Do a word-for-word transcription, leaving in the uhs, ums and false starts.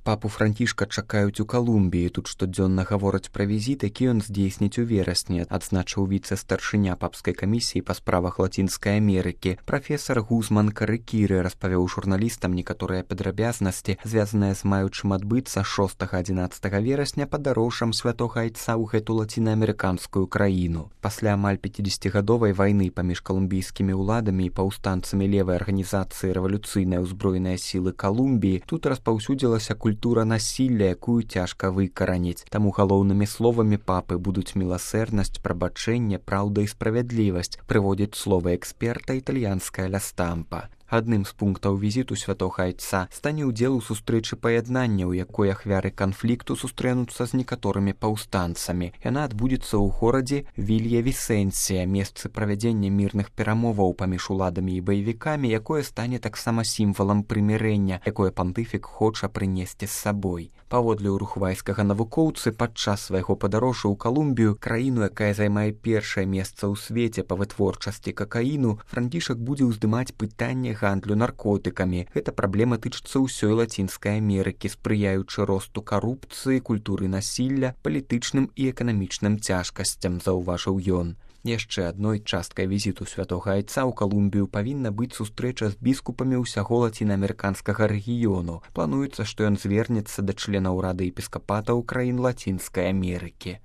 Папу Францішка чакаюць у Калумбіі. Тут штодзённа гавораць пра візіт, які ён здзейсніць у верасні, адзначыў віцэ-старшыня папскай камісіі па справах Лацінскай Амерыкі. Прафесар Гузман Карыкіры распавёў журналістам некаторыя падрабязнасці, звязаныя з маючым адбыцца шостага-адзінаццатага верасня падарожжам святога айца ў гэту лацінаамерыканскую краіну. Пасля амаль пяцідзесяцігадовай вайны паміж калумбійскімі ўладамі і паўстанцамі левай арганізацыі рэвалюцыйнай узброеныя сілы Калумбіі тут распаўсюдзілася культура насілля, якую цяжка выкараніць. Таму галоўнымі словамі папы будуць міласэрнасць, прабачэнне, праўда і справядлівасць, прыводзіць словы эксперта італьянская ля Стампа. Адным з пунктаў візіту святога айца стане ўдзел у сустрэчы паяднання, у якой ахвяры канфлікту сустрэнуцца з некаторымі паўстанцамі. Яна адбудзецца ў горадзе Вілья-Вісэнсія, месцы правядзення мірных перамоваў паміж уладамі і баевікамі, якое стане таксама сімвалам прымірэння, якое пантыфік хоча прынесці з сабой. Паводле уругвайскага навукоўцы, падчас свайго падарожжа ў Калумбію, краіну, якая займае першае месца ў свеце па вытворчасці какаіну, Францішак будзе ўздымаць пытанне гандлю наркотыкамі. Гэта праблема тычыцца ўсёй Лацінскай Амерыкі, спрыяючы росту карупцыі, культуры насілля, палітычным і эканамічным цяжкасцям, заўважыў ён. Яшчэ адной часткай візіту святога айца ў Калумбію павінна быць сустрэча з біскупамі ўсяго лацінаамерыканскага рэгіёну. Плануецца, што ён звернецца да членаў рады епіскапатаў краін Лацінскай Амерыкі.